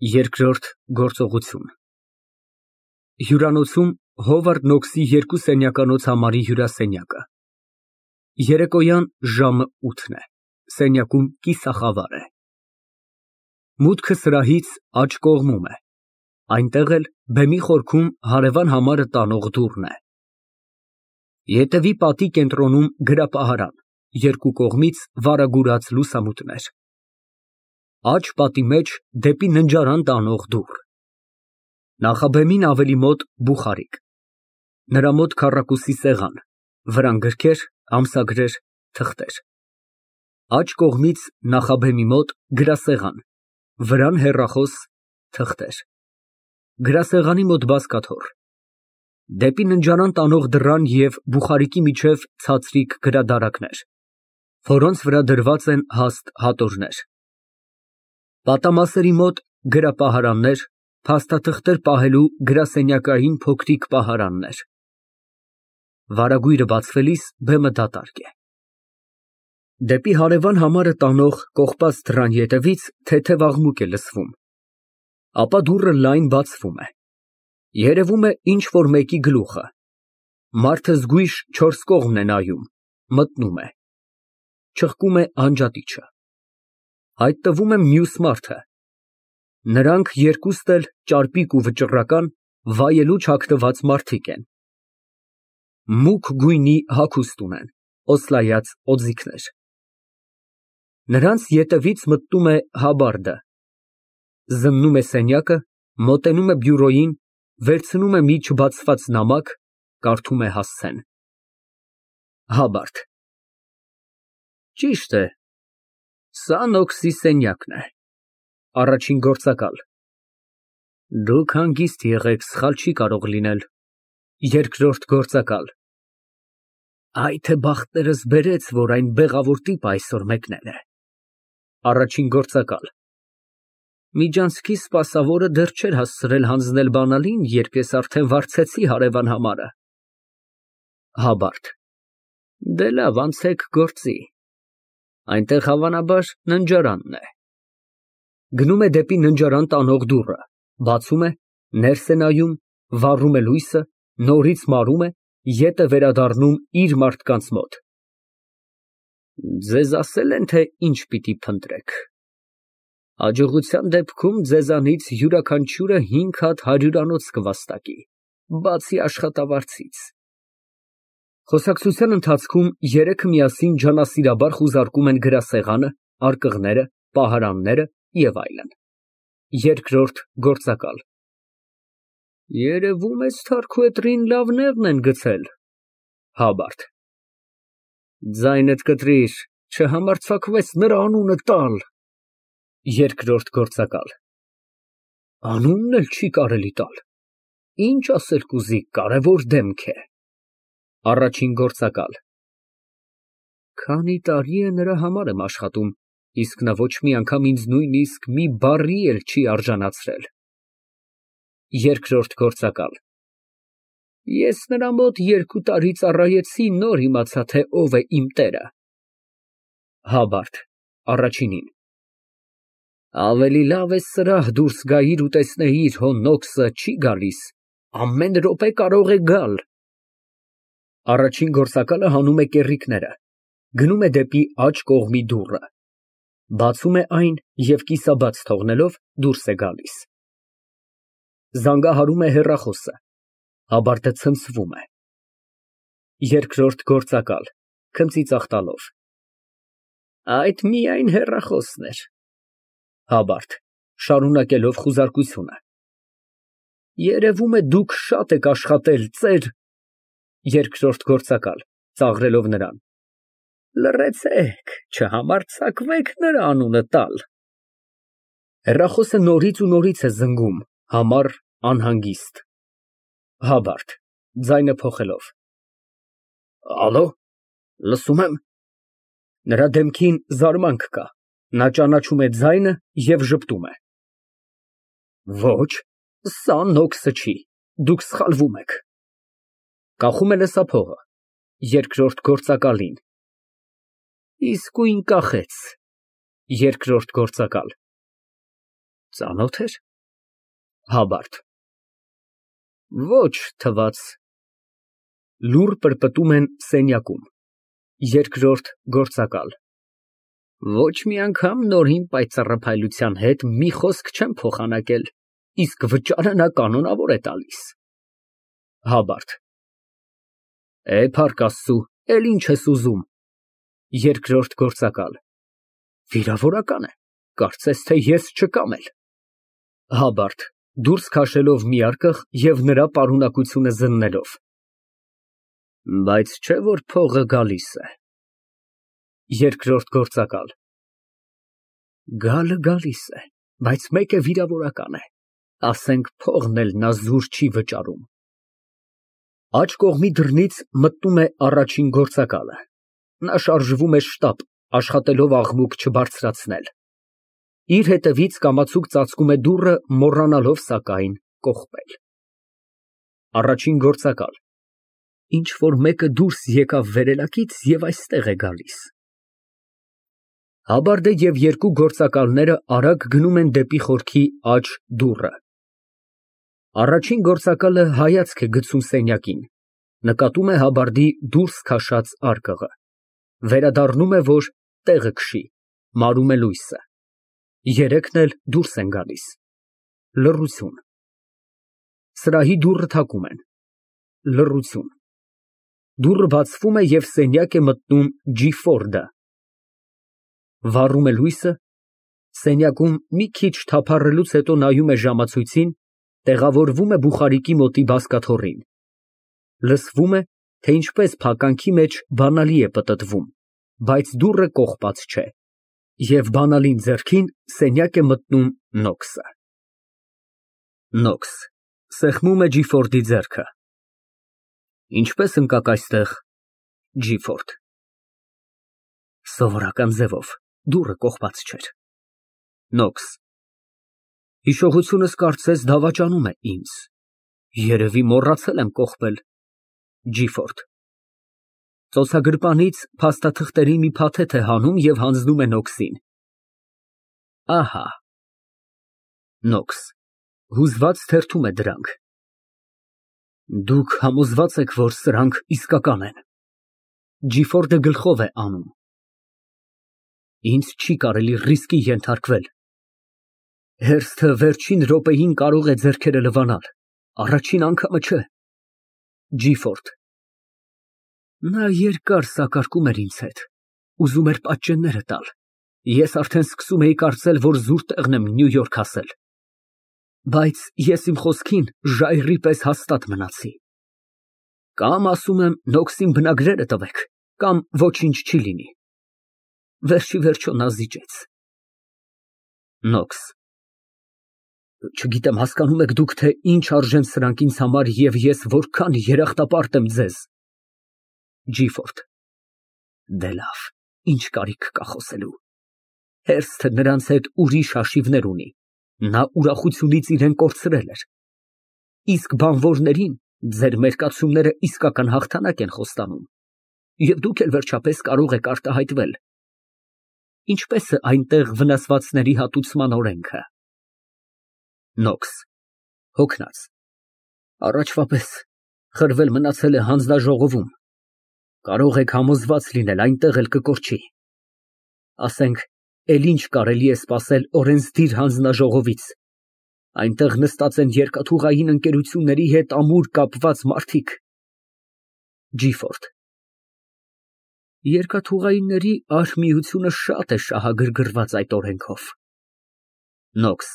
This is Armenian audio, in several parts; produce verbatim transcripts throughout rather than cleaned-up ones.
Երկրորդ գործողություն Հյուրանոցում Հովարդ Նոքսի երկու սենյականոց համարի հյուրասենյակը։ Երեկոյան ժամը ութն է, սենյակում կիսախավար է։ Մուտքը սրահից աջ կողմում է, այնտեղ էլ բեմի խորքում հարևան համարը տանող դուռն է։ Ետևի պատի կենտրոնում գրապահարան, երկու կողմից վարագուրած լուսամուտներ։ Աջ պատի մեջ դեպի ննջարան տանող դուռ։ Նախաբեմին ավելի մոտ բուխարիկ, նրա մոտ քառակուսի սեղան, վրան գրքեր, ամսագրեր, թղթեր։ Աջ կողմից նախաբեմի մոտ գրասեղան, վրան հեռախոս, թղթեր։ Գրասեղանի մոտ բազկաթոռ։ Դեպի ննջարան տանող դռան և բուխարիկի միջև ցածրիկ գրադարաններ, որոնց վրա դրված են հաստ հատորներ։ Պատամասերի մոտ գրապահարաններ, փաստաթղթեր պահելու գրասենյակային փոքրիկ պահարաններ։ Վարագույրը բացվելիս բեմը դատարկ է։ Դեպի հարևան համարը տանող կողպած դռան ետևից թեթև աղմուկ է լսվում, ապա դուռը լայն բացվում է։ Երևում է ինչ֊որ մեկի գլուխը։ Մարդը զգույշ չորս կողմն է նայում, մտնում է։ Չղկում է անջատիչը։ Հայտնվում է մյուս մարդը։ Նրանք երկուստ էլ ճարպիկ ու վճռական, վայելուչ հագնված մարդիկ են։ Մուգ գույնի հագուստ ունեն, օսլայած օձիքներ։ Նրանց ետևից մտնում է Հաբարդը։ Զննում է սենյակը, մոտենում է բյուրոյին, վերցնում է մի չբացված նամակ, կարդում է հասցեն։ Հաբարդ Ճիշտ է, սա Նոքսի սենյակն է։ Առաջին գործակալ Դուք հանգիստ եղեք, սխալ չի կարող լինել։ Երկրորդ գործակալ Այ թե բախտներս բերեց, որ այն բեղավոր տիպը այսօր մեկնել է։ Առաջին գործակալ Միջանցքի սպասավորը դեռ չէր հասցրել հանձնել բանալին, երբ ես արդեն վարձեցի հարևան համարը։ Հաբարդ Դե լավ, անցեք գործի։ Այնտեղ հավանաբար ննջարանն է։ Գնում է դեպի ննջարան տանող դուռը, բացում է, ներս է նայում, վառում է լույսը, նորից մարում է, ետ է վերադառնում իր մարդկանց մոտ։ Ձեզ ասել են, թե ինչ պիտի փնտրեք։ Հաջողության դեպքում ձեզանից յուրաքանչյուրը հինգ հատ հարյուրանոց կվաստակի, բացի աշխատավարձից։ Խոսակցության ընթացքում երեքը միասին ջանասիրաբար խուզարկում են գրասեղանը, արկղները, պահարանները և այլն։ Երկրորդ գործակալ Երևում է Սթարքուետրին լավ նեղն են գցել։ Հաբարդ Ձայնդ կտրիր, չհամարձակվես նրա անունը տալ։ Երկրորդ գործակալ Անունն էլ չի կարելի տալ։ Ինչ ասել կուզի, կարևոր դեմք է։ Առաջին գործակալ Քանի տարի է նրա համար եմ աշխատում, իսկ նա ոչ մի անգամ ինձ նույնիսկ մի բառի էլ չի արժանացրել։ Երկրորդ գործակալ Ես նրա մոտ երկու տարի ծառայեցի, նոր իմացա, թե ով է իմ տերը։ Հաբարդ Առաջինին Ավելի լավ է սրահ դուրս գայիր ու տեսնեիր, հո Նոքսը չի գալիս, ամեն րոպե կարող է գալ։ Առաջին գործակալը հանում է կեռիկները, գնում է դեպի աջ կողմի դուռը, բացում է այն և կիսաբաց թողնելով դուրս է գալիս։ Զանգահարում է հեռախոսը, Հաբարդը ցնցվում է։ Երկրորդ գործակալ (Քմծիծաղ տալով) Այդ միայն հեռախոսն էր։ Հաբարդ (Շարունակելով խուզարկությունը) Երևում է դուք շատ եք աշխատել, ծեր… Երկրորդ գործակալ (Ծաղրելով նրան) Լռեցեք, չհամարձակվեք նրա անունը տալ։ Հեռախոսը նորից ու նորից է զնգում, համառ, անհանգիստ։ Հաբարդ (Ձայնը փոխելով) Ալո, լսում եմ։ Նրա դեմքին զարմանք կա, նա ճանաչում է ձայնը և ժպտում է։ Ոչ, սա Նոքսը չի, դուք սխալվում եք։ Կախում է լսափողը, երկրորդ գործակալին։ Իսկույն կախեց։ Երկրորդ գործակալ Ծանո՞թ էր։ Հաբարդ։ Ոչ թվաց։ Լուռ պրպտում են սենյակում։ Երկրորդ գործակալ։ Ոչ մի անգամ նորին պայծառափայլության հետ մի խոսք չեմ փոխանակել, իսկ վճարը նա կանոնավոր է տալիս։ Հաբարդ։ Է, փառք Աստծու, էլ ինչ ես ուզում։ Երկրորդ գործակալ։ Վիրավորական է, կարծես թե ես չկամ էլ։ Հաբարդ (Դուրս քաշելով միարկղ և նրա պարունակությունը զննելով) Բայց չէ՞ որ փողը գալիս է։ Երկրորդ գործակալ։ Գալը գալիս է, բայց մեկ է վիրավորական է, ասենք փողն էլ նա զուր չի վճարում։ Աջ կողմի դռնից մտնում է առաջին գործակալը։ Նա շարժվում է շտապ, աշխատելով աղմուկ չբարձրացնել։ Իր հետևից կամացուկ ծածկում է դուռը, մոռանալով, սակայն, կողպել։ Առաջին գործակալ։ Ինչ֊որ մեկը դուրս եկավ վերելակից և այստեղ է գալիս։ Հաբարդը և երկու գործակալները արագ գնում են դեպի խորքի աջ դուռը։ Առաջին գործակալը հայացք է գցում սենյակին, նկատում է Հաբարդի դուրս քաշած արկղը, վերադառնում է, որ տեղը քշի, մարում է լույսը։ Երեքն էլ դուրս են գալիս։ Լռություն։ Սրահի դուռը թակում են։ Լռություն։ Դուռը բացվում է և սենյակ է մտնում Ջիֆորդը։ Վառում է լույսը, սենյակում մի քիչ թափառելուց հետո նայում է ժամացույցին, տեղավորվում է բուխարիկի մոտի բազկաթոռին։ Լսվում է, թե ինչպես փականքի մեջ բանալի է պտտվում, բայց դուռը կողպած չէ, և բանալին ձեռքին սենյակ է մտնում Նոքսը։ Նոքս (Սեղմում է Ջիֆորդի ձեռքը) Ինչպե՞ս ընկաք այստեղ։ Ջիֆորդ։ Սովորական ձևով, դուռը կողպած չէր։ Նոքս։ Հիշողությունս կարծես դավաճանում է ինձ, երևի մոռացել եմ կողպել։ Ջիֆորդ։ Ծոցագրպանից փաստաթղթերի մի փաթեթ է հանում և հանձնում է Նոքսին։ Ահա։ Նոքս (Հուզված թերթում է դրանք) Դուք համոզվա՞ծ եք, որ սրանք իսկական են։ Ջիֆորդը գլխով է անում։ Ինձ չի կարելի ռիսկի ենթարկվել։ Հերթը վերջին րոպեին կարող է ձեռքերը լվանալ, առաջին անգամը չէ։ Ջիֆորդ։ Նա երկար սակարկում էր ինձ հետ, ուզում էր պատճենները տալ, ես արդեն սկսում էի կարծել, որ զուր տեղն եմ Նյու Յորք հասել։ Բայց ես իմ խոսքին ժայռի պես հաստատ մնացի։ Կամ ասում եմ Նոքսին բնագրերը տվեք, կամ ոչինչ չի լինի։ Վերջիվերջո նա զիջեց։ Նոքս։ Չգիտեմ հասկանում եք դուք, թե ինչ արժեն սրանք ինձ համար և ես որքան երախտապարտ եմ ձեզ։ Ջիֆորդ։ Դե լավ, ինչ կարիք կա խոսելու։ Հերթը նրանց հետ ուրիշ հաշիվներ ունի, նա ուրախությունից իրան կորցրել էր։ Իսկ բանվորներին ձեր մերկացումները իսկական հաղթանակ են խոստանում, և դուք էլ վերջապես կարող եք արտահայտվել։ Ինչպե՞ս է այնտեղ վնասվածների հատուցման օրենքը։ Նոքս (Հոգնած) Առաջվա պես խրվել մնացել է հանձնաժողովում, կարող եք համոզված լինել, այնտեղ էլ կկորչի։ Ասենք, էլ ինչ կարելի է սպասել օրենսդիր հանձնաժողովից, այնտեղ նստած են երկաթուղային ընկերությունների հետ ամուր կապված մարդիկ։ Ջիֆորդ։ Երկաթուղայինների արհմիությունը շատ է շահագրգռված այդ օրենքով։ Նոքս։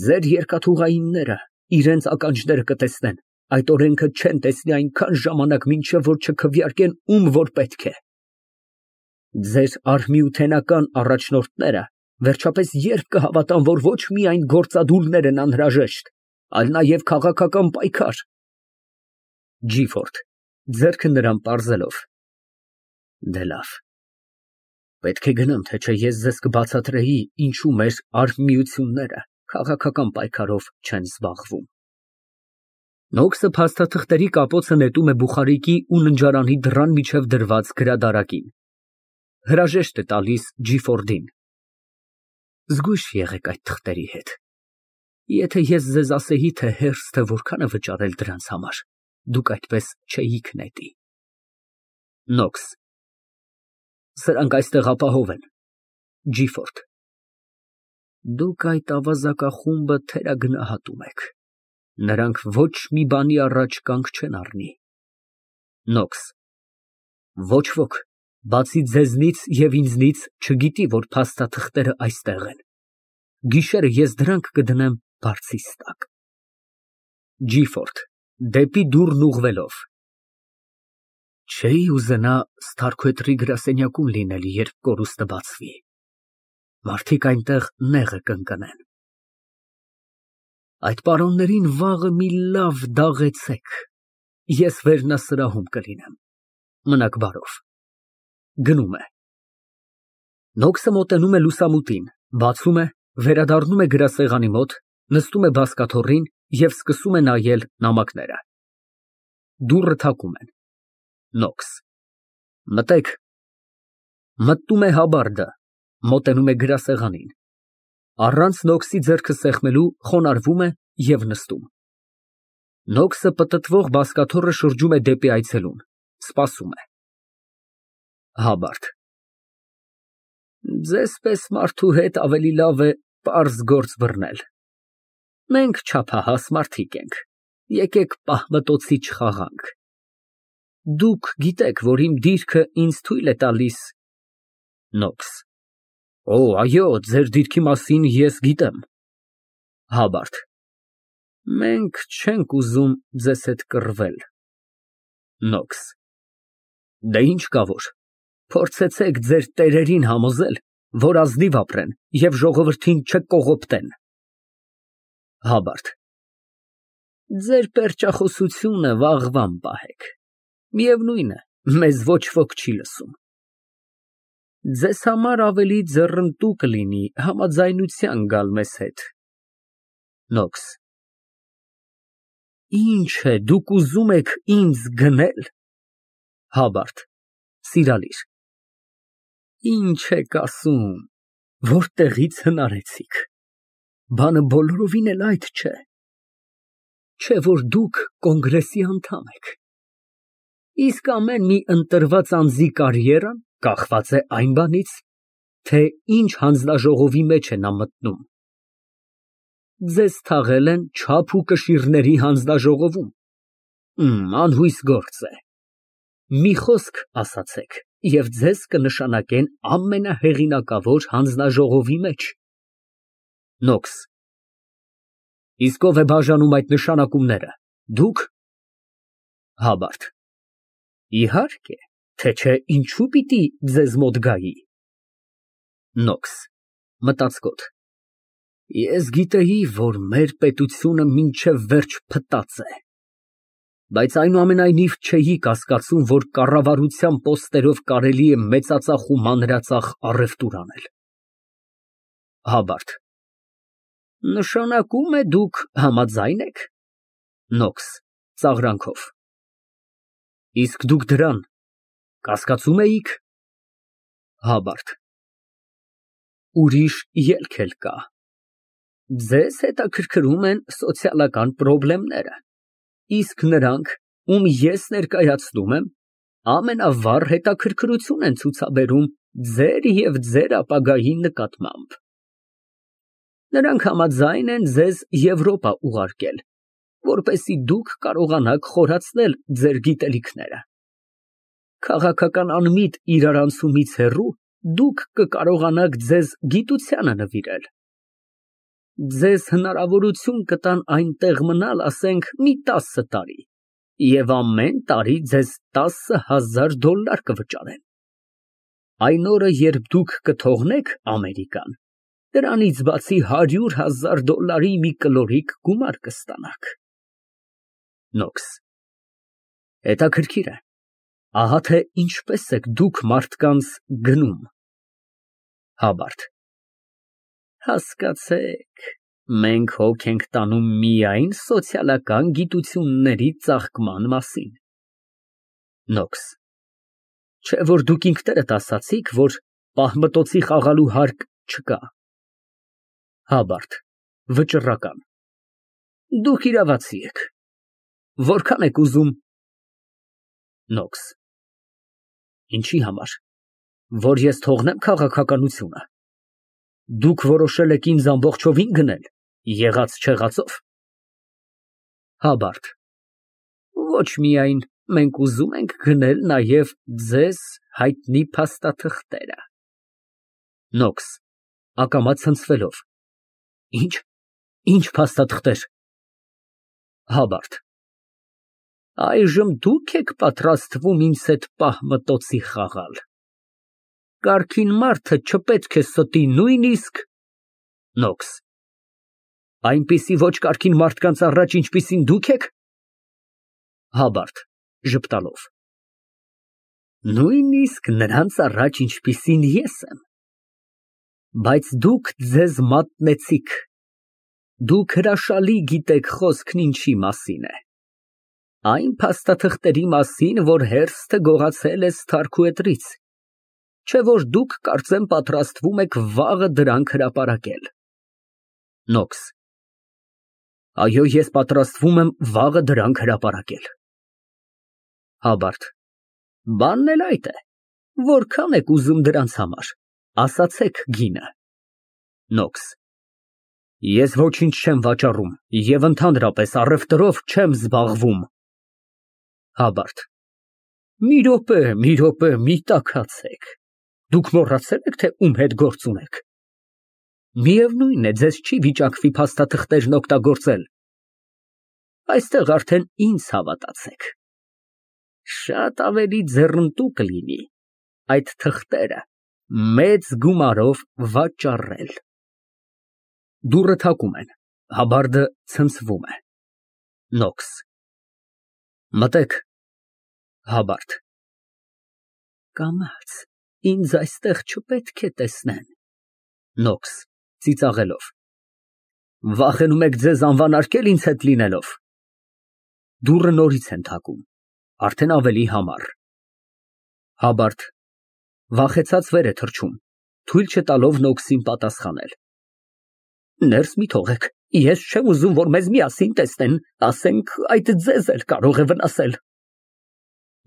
Ձեր երկաթուղայինները իրենց ականջները կտեսնեն, այդ օրենքը չեն տեսնի այնքան ժամանակ, մինչև որ չքվեարկեն ում որ պետք է։ Ձեր արհմիութենական առաջնորդները վերջապես երբ կհավատան, որ ոչ միայն գործադուլներ են անհրաժեշտ, այլ նաև քաղաքական պայքար։ Ջիֆորդ (Ձեռքը նրան պարզելով) Դե լավ, պետք է գնամ, թե չէ ես ձեզ կբացատրեի, ինչու մեր արհմիությունները քաղաքական պայքարով չեն զբաղվում։ Նոքսը փաստաթղթերի կապոցը նետում է բուխարիկի ու ննջարանի դռան միջև դրված գրադարակին։ Հրաժեշտ է տալիս Ջիֆորդին։ Զգույշ եղեք այդ թղթերի հետ։ Եթե ես ձեզ ասեի, թե հերձը որքան է վճարել դրանց համար, դուք այդպես չէիք նետի։ Նոքս. Սրանք այստեղ ապահով են։ Դուք այդ ավազակախումբը թերագնահատում եք։ Նրանք ոչ մի բանի առաջ կանգ չեն առնի։ Նոքս. Ոչ ոք, բացի ձեզնից և ինձնից, չգիտի, որ փաստաթղթերը այստեղ են։ Գիշերը ես դրանք կդնեմ բարձիս տակ։ (Դեպի դուռն ուղղվելով) Չէի ուզենա Սթարքվեթրի գրասենյակում լինել, երբ կորուստը բացվի։ Մարդիկ այնտեղ նեղը կընկնեն։ Այդ պարոններին վաղը մի լավ դաղեցեք, ես վերնասրահում կլինեմ։ Մնաք բարով։ (Գնում է)։ Նոքսը մոտենում է լուսամուտին, բացում է, վերադառնում է գրասեղանի մոտ, նստում է բազկաթոռին և սկսում է նայել նամակները։ Դուռը թակում են։ Նոքս. Մտեք։ Մտնում է Հաբարդը, մոտենում է գրասեղանին, առանց Նոքսի ձեռքը սեղմելու խոնարհվում է և նստում։ Նոքսը պտտվող բազկաթոռը շրջում է դեպի այցելուն, սպասում է։ Հաբարդ. Ձեզ պես մարդու հետ ավելի լավ է պարզ գործ բռնել։ Մենք չափահաս մարդիկ ենք, եկեք պահմտոցի չխաղանք։ Դուք գիտեք, որ իմ դիրքը ինձ թույլ է տալիս… Նոքս. Օ, այո, ձեր դիրքի մասին ես գիտեմ։ Հաբարդ. Մենք չենք ուզում ձեզ հետ կռվել։ Նոքս. Դե ինչ կա որ, փորձեցեք ձեր տերերին համոզել, որ ազնիվ ապրեն և ժողովրդին չկողոպտեն։ Հաբարդ. Ձեր պերճախոսությունը վաղվան պահեք, միևնույն է, մեզ ոչ ոք չի լսում։ Ձեզ համար ավելի ձեռնտու կլինի համաձայնության գալ մեզ հետ։ Նոքս. Ինչ է, դուք ուզում եք ինձ գնել։ Հաբարդ (սիրալիր) Ինչ եք ասում, որտեղի՞ց հնարեցիք, բանը բոլորովին էլ այդ չէ, չէ որ դուք կոնգրեսի անդամ եք, իսկ ամեն մի ընտրված անձի կարիերան կախված է այն բանից, թե ինչ հանձնաժողովի մեջ է նա մտնում։ Ձեզ թաղել են չափ ու կշիռների հանձնաժողովում, անհույս գործ է, մի խոսք ասացեք, և ձեզ կնշանակեն ամենահեղինակավոր հանձնաժողովի մեջ։ Նոքս. Իսկ ով է բաժանում այդ նշանակումները, դուք։ Հաբարդ. Իհարկե, թե չէ ինչու պիտի ձեզ մոտ գայի։ Նոքս (մտածկոտ) Ես գիտեի, որ մեր պետությունը մինչև վերջ փտած է, բայց այնուամենայնիվ չէի կասկածում, որ կառավարության պոստերով կարելի է մեծածախ ու մանրածախ առևտուր անել։ Հաբարդ. Նշանակում է դուք համաձայն եք։ Նոքս (ծաղրանքով) Իսկ դուք դրան կասկածում էիք։ Հաբարդ. Ուրիշ ելք էլ կա։ Ձեզ հետաքրքրում են սոցիալական պրոբլեմները, իսկ նրանք, ում ես ներկայացնում եմ, ամենավառ հետաքրքրություն են ցուցաբերում ձեր և ձեր ապագայի նկատմամբ։ Նրանք համաձայն են ձեզ Եվրոպա ուղարկել, որպեսզի դուք կարողանաք խորացնել ձեր գիտելիքները։ Քաղաքական անմիտ իրարանցումից հեռու դուք կկարողանաք ձեզ գիտությանը նվիրել։ Ձեզ հնարավորություն կտան այնտեղ մնալ, ասենք, մի տասը տարի, և ամեն տարի ձեզ տասը հազար դոլար կվճարեն։ Այն օրը, երբ դուք կթողնեք Ամերիկան, դրանից բացի հարյուր հազար դոլարի մի կլորիկ գումար կստանաք։ Նոքս Հետաքրքիր է, ահա թե ինչպես եք դուք մարդկանց գնում։ Հաբարդ Հասկացեք, մենք հոգ ենք տանում միայն սոցիալական գիտությունների ծաղկման մասին։ Նոքս Չէ՞ որ դուք ինքներդ ասացիք, որ պահմտոցի խաղալու հարկ չկա։ Հաբարդ (վճռական) Դուք իրավացի եք։ Որքան եք ուզում։ Նոքս։ Ինչի համար, որ ես թողնեմ քաղաքականությունը։ Դուք որոշել եք ինձ ամբողջովին գնել, եղած չեղածով։ Հաբարտ։ Ոչ միայն, մենք ուզում ենք գնել նաև ձեզ հայտնի փաստաթղթերը։ Նոքս (Ակամա ցնցվելով) Ինչ, ինչ փաստաթղթեր։ Հաբարտ։ Այժմ դուք եք պատրաստվում ինձ հետ պահմտոցի խաղալ։ Կարգին մարդը չպետք է ստի նույնիսկ… Նոքս. Այնպիսի ոչ կարգին մարդկանց առաջ, ինչպիսին դուք եք։ Հաբարտ (Ժպտալով) Նույնիսկ նրանց առաջ, ինչպիսին ես եմ։ Բայց դուք ձեզ մատնեցիք։ Դուք հրաշալի գիտեք խոսքն ինչի մասին է։ Այն փաստաթղթերի մասին, որ հերթը գողացել է Սթարքուետրից, չէ՞ որ դուք, կարծեմ, պատրաստվում եք վաղը դրանք հրապարակել։ Նոքս. Այո, ես պատրաստվում եմ վաղը դրանք հրապարակել։ Հաբարտ. Բանն էլ այդ է, որքան եք ուզում դրանց համար, ասացեք գինը։ Նոքս. Ես ոչինչ չեմ վաճառում և ընդհանրապես առևտրով չեմ զբաղվում։ Հաբարտ. Մի րոպե, մի րոպե, մի տաքացեք, դուք մոռացե՞լ եք, թե ում հետ գործ ունեք։ Միևնույն է, ձեզ չի վիճակվի փաստաթղթերն օգտագործել։ Այստեղ արդեն ինձ հավատացեք։ Շատ ավելի ձեռնտու կլինի այդ թղթերը մեծ գումարով վաճառել։ Դուռը թակում են, Հաբարդը ցնցվում է։ Նոքս. Մտեք։ Հաբարտ. Կամաց, ինձ այստեղ չպետք է տեսնեն։ Նոքս (Ծիծաղելով) Վախենում եք ձեզ անվանարկել ինձ հետ լինելով։ Դուռը նորից են թակում, արդեն ավելի համառ։ Հաբարտ վախեցած վեր է թռչում, թույլ չտալով Նոքսին պատասխանել։ Ներս մի թողեք, ես չեմ ուզում, որ մեզ միասին տեսնեն, ասենք, այդ ձեզ էլ կարող է վնասել։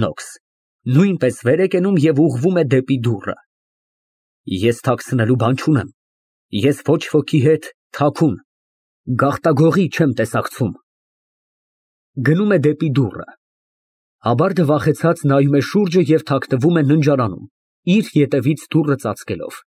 Նոքս նույնպես վեր է կենում և ուղղվում է դեպի դուռը։ Ես թաքցնելու բան չունեմ, ես ոչ ոքի հետ թաքուն, գաղտագողի չեմ տեսակցում։ Գնում է դեպի դուռը։ Հաբարդը վախեցած նայում է շուրջը և թաքնվում է ննջարանում, իր ետևից դուռը ծածկելով։